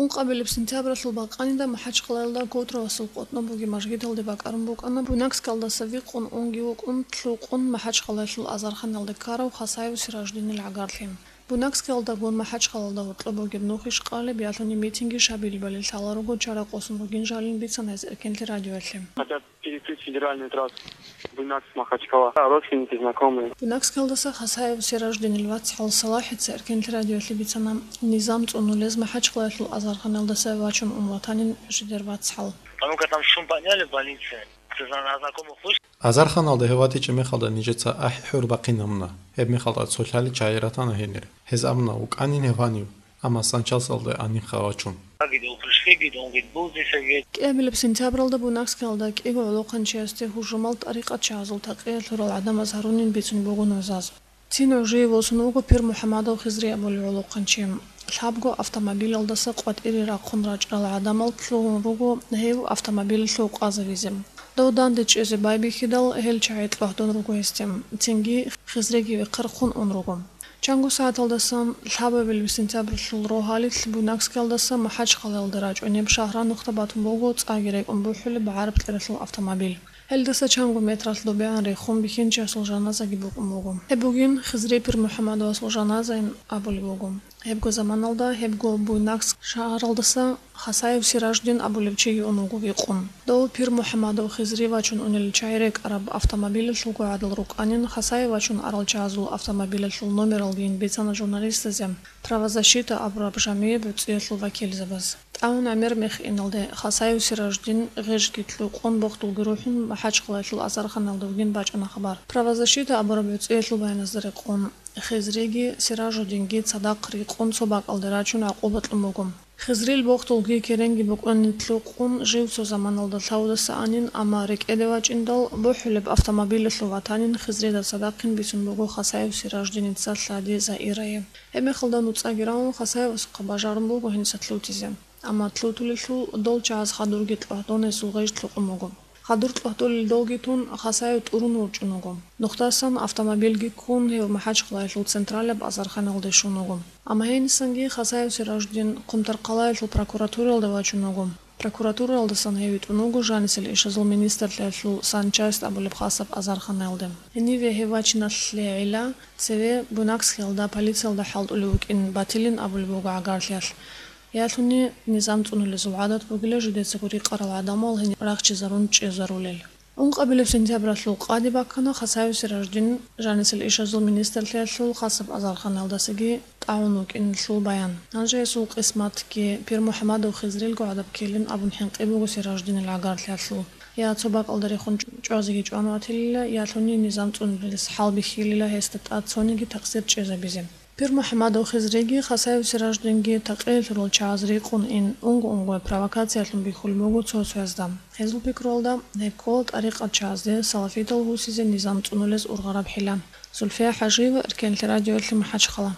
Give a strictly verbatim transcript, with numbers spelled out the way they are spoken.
Ункъабилеб сентябралъул бакъанида МахӀачхъалаялда Котровасул къотӀноб бугеб мажгиталде бакӀарун букӀана, Буйнакскалдаса викъун унги вукӀун, лъукъун МахӀачхъалаялъул азарханалде ккарав Хасаев Сираждинил гӀагарлъи. Буйнакскалдагун МахӀачхъалаялда гьоркьоб бугеб нух иш къалеб ялъуни митинги шабилебали лъала руго чара къосун ругин жалин бицана гьес Эркенлъи радиоялъе. Хотят перекрыть федеральную трассу Буйнакск-Махачкала. Да, родственники, знакомые. Буйнакскалдаса Хасаев Сираждинил вацгӀал Салахица Эркенлъи радиоялъе бицана, низам цӀунулез МахӀачхъалаялъул азарханалдаса вачун ун ватанин жидер вацгӀал. Потому как там шум подняли в больнице. Ты зна-, на знакомых вышел. Азарханалда гьев ватичӀеб мехалда нижеца ахӀи-хӀур бахъин гьабуна. Гьеб мехалда цо лъали чагӀи ратана гьенир. Гьез абуна, вукӀанин гьев гьанив, амма санчасалда анихъа вачун. Как говорит, пришли, говорит, он говорит, был здесь, говорит. КӀиабилеб сентябралда Буйнакскалда кӀиго гӀолохъанчиясде гьужумал тӀарикъатчагӀазул такъиялъ лъурал гӀадамаз гьарунин бицун буго нужаз. Цин гӀужие восун вуго Пирмухьамадов Хизри абулев гӀолохъанчи. Лъабго автомобилалдаса къватӀире рахъун рачӀарал гӀадамал лъугьун руго гьев автомобилалъув къвазавизе. Дов данде чӀезе байбихьидал, гьел чагӀи кьвагьдун руго гьесде. Цинги Хизриги вехъерхъун ун руго. Чанго сагӀаталдасан лъабабилеб сентябралъул рогьалилъ Буйнакскалдаса МахӀачхъалаялда рачӀунеб шагьранухъда батун буго цӀаги рекӀун бухӀулеб гӀараб кьералъул автомобиль. Гьелдаса чанго метралъ добегӀан рехун бихьинчиясул жаназаги букӀун буго. Гьеб бугин Хизри Пирмухьамадовасул жаназаин абулеб буго. Гьебго заманалда гьебго Буйнакск шагьаралдаса Хасаев Сираждин абулев чиги ун вуго викъун. Дов Пирмухьамадов Хизри вачун унел чагӀи рекӀараб автомобилалъулго гӀадал рукӀанин, Хасаев вачун арал чагӀазул автомобилалъул номералгийин бицана журналистазе правозащита абураб жамигӀи буцӀиялъул вакилзабаз. ТӀагӀун гӀемер мех иналде Хасаев Сираждин гъежги лъукъун бохдулги рухӀун МахӀачхъалаялъул азарханалда вугин бачӀана хабар. Правозащита абураб буцӀиялъул баяназда рекъон, Хизриги Сиражудинги цадахъ рикъун цо бакӀалде рачун гӀакъуба кьун буго. Хизрил бохдулги керенги букӀунани лъукъун жив цо заманалда лъавудаса анин, амма рекӀеде вачӀиндал бухӀулеб автомобилалъув ватанин Хизрида цадахъин бицун буго Хасаев Сираждиница лъади Заирае. Гьеб мехалда нуцӀаги равун, Хасаевасухъа бажарун буго гьениса лъутизе. Амма лъутулелъул дол чагӀаз хадурги кьвагьдун гьесул гъеж лъукъун буго. Хадур кьвагьдулел долги тун, Хасаев тӀурун ворчӀун вуго. Нухдасан автомобильги ккун, гьев МахӀачхъалаялъул централаб азарханалде щун вуго. Амма гьенисанги Хасаев Сираждин Хъумтаркъалаялъул прокуратуралда вачун вуго. Прокуратуралдасан гьев витӀун вуго жанисел ишазул министрлъиялъул санчасть абулеб хасаб азарханалде. Гьениве гьев вачиналъе гӀилла, цеве Буйнакскиялда полициялда хӀалтӀулев вукӀин батилин абулеб буго гӀагарлъиялъ. Ялъуни низам цӀунулезул гӀадат бугила жидецаго рикъарал гӀадамал гьениб рахчизарун чӀезарулел. Ункъабилеб сентябралъул къаде баккана Хасаев Сираждин жанисел ишазул министрлъиялъул хасаб азарханалдасаги тӀагӀун вукӀиналъул баян. Гьанже гьесул къисматги Пирмухьамадов Хизрилго гӀадаб ккелин абун хӀинкъи буго Сираждинил гӀагарлъиялъул. Я цо бакӀалда рехун чӀвазеги чӀван ватилила, ялъуни низам цӀунулелъ хӀалбихьилила гьесда тӀад цониги такъсир чӀезабизе. Пирмухьамадов Хизриги Хасаев Сираждинги такъиялъурал чагӀаз рикъун ин, унго-унгояб провокациялъун бихьулеб буго цо-цоязда. Гьезул пикруялда, гьеб ккола тӀарикъатчагӀазде салафитал гьусизе низам цӀунулез ургъараб хӀила. Зульфия ХӀажиева, Эркенлъи радиоялъе, МахӀачхъала.